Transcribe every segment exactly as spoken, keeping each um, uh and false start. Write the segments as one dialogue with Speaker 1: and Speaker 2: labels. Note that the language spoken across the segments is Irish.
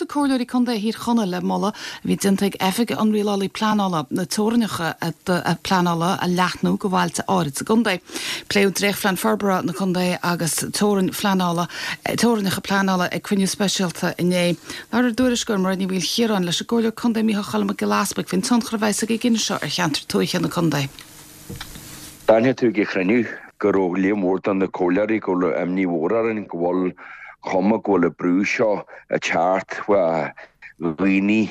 Speaker 1: Comhairleoirí Contae Thír Chonaill le moladh a bhí déanta ag Oifig an Rialálaí Pleanála na teorainneacha pleanála a leathnú go bhailte áirid sa gcontae. Pléadh dréachtphlean forbartha na contae agus teorainn phleanála teorainneacha pleanála ag cruinniú speisialta inné. Labhair ár dtuairisceoir Máire Ní Mhaoilchiaráin leis an gComhairleoir Contae Micheál Choilm Mac Giolla Easpaig faoin tionchar a bheas ag an gcinneadh seo ar cheantar tuaithe na contae.
Speaker 2: D'aithin tú ag an chruinniú go raibh líon mór de na comhairleoirí go raibh imní mhór orainn go bhfuil cuma go bhfuil an brú seo ag teacht ó dhaoine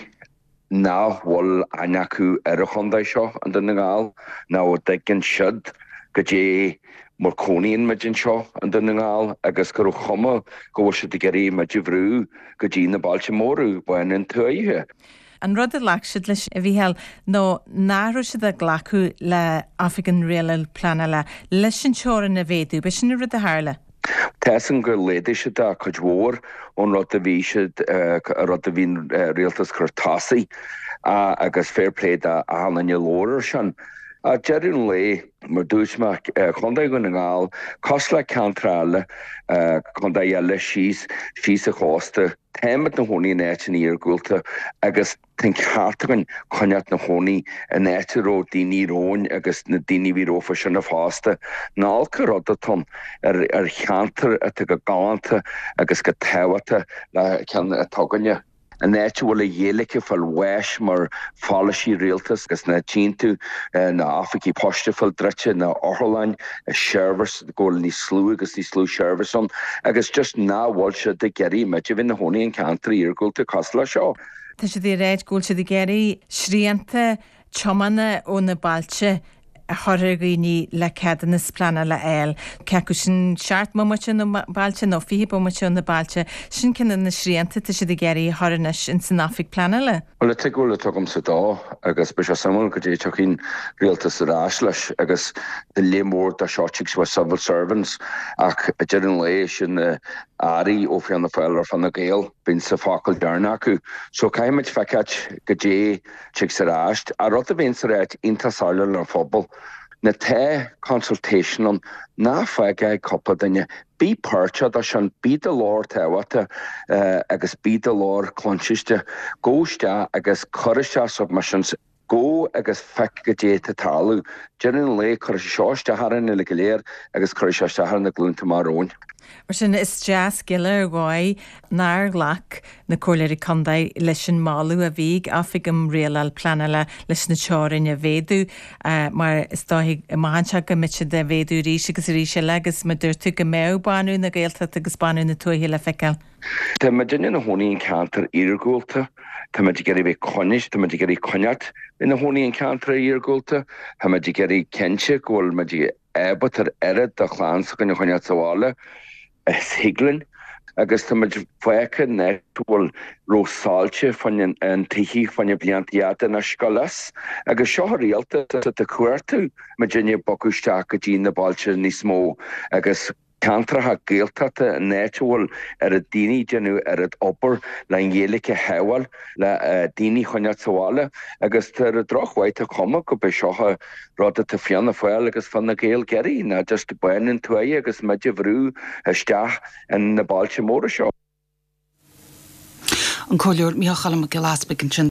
Speaker 2: nach bhfuil aithne acu ar an chontae seo i nDún na nGall ná a dtuigeann siad goidé mar cónaíonn muid anseo i nDún na nGall agus gur chuma go bhfuil siad ag iarraidh muid a bhrú go dtí na bailte móra baineann tuaithe.
Speaker 3: An rud a ghlac siad leis a Mhícheáil nó nach raibh siad ag glacadh le Oifig an Rialála Pleanála leis an teorainn a mhéadú, b'shin an rud a tharla.
Speaker 2: Tesan gur léidir siad a chuid mhór ón rud a bhí siad a rud a bhín rialtas chun tosaigh agus fair play d'achan duine labhair sin. Ag deireadh an lae mar dúirt mé Contae Dhún na nGall, cosúil le ceantar eile contae eile síos síos an chósta, Táimid ina chónaí in áiteanna iargúlta agus tá an ceart againn coinneáil ina chónaí in áit a raibh daoine romhainn agus na daoine a bhí rompu sin fosta. Ní olc an rud atá ann ar ar cheantar atá go galánta agus go tábhachtach le ceann atá againne. An áit a bhfuil an Ghaeilge ag fáil bháis mar pholasaí rialtas agus na tchíonn tú na oifigí poist ag fáil druidte na otharlanna seirbhís go bhfuil níos lú agus níos lú seirbhís ann agus just nach bhfuil siad ag iarraidh muid a bheith ina chónaí in ceantar iargúlta cosúil le seo.
Speaker 3: Tá siad ag rá go bhfuil siad ag iarraidh srianta tiomána ó na bailte a chur ar dhaoine le ceadúnas pleanála a fháil. Cé acu sin seacht mbomaite ó na bailte nó fiche bomaite ó na bailte, sin ceann de na srianta tá siad ag iarraidh a chur anois in san oifig pleanála.
Speaker 2: Well tuig bhfuil tugamsa dó agus be sé samú go dé tucín rialtas ar ais leis agus de lé mór dá seotigh wa civil servants ach ag deireadh an lae sin na airí ó Fianna Fáil ar Fine Gael bíonn sa focal deireanach acu. So caithfimid feiceáil goidé tig ar ais a rud a bhíonn sa ráit iontach soiléir le phobal. Na tá consultation ann ná fág cúpla duine, bí páirteach de sin bí do ghlór tábhachtach agus bí do ghlór cluinste, gabh isteach agus cuir isteach submissions gabh agus feic goidé atá ag tarlú. Deireadh an lae cuirfidh sé seo isteach orainn uile go léir agus cuirfidh sé isteach ar na glúnta amach romhainn.
Speaker 3: Mar sin is deas gile ar dhóigh nár ghlac na comhairleoirí contae leis an moladh a bhí ag Oifig um Rialáil Pleanála leis na teorainn a mhéadú mar is dóigh amach anseo go mbeidh siad a mhéadú arís agus arís eile agus mar dúirt tú go mbeadh bánú na Gaeltachta agus bánú na tuaithe le feiceáil.
Speaker 2: Tá muidinne ina chónaí in ceantar iargúlta, Tá muid ag iarraidh bheith coinnis, tá muid ag iarraidh coinneáil ina chónaí in ceantar iargúlta, Tá muid ag iarraidh cinnte go bhfuil muid ábalta ar oiread de chlann s'againn a choinneáil sa bhaile is thig linn agus tá muid fágtha net bhfuil rósáilte fan an tithe fan blianta fhada na scolas agus seo rialtas atá cuartú muidinne bogadh isteach go dtí na bailte níos mó agus ceantracha Gaeltachta an áit a bhfuil ar a daoine déanamh ar an obair le an Ghaeilge a shábháil le daoine choinneáil sa bhaile agus tá ar drochmhaith tá cuma go be seo rud atá Fianna Fáil agus Fine Gael ag iarraidh ná just baineann tuaithe agus muid a bhrú isteach in na bailte móra seo.
Speaker 1: An Comhairleoir Micheál Choilm Mac Giolla Easpaig ansin.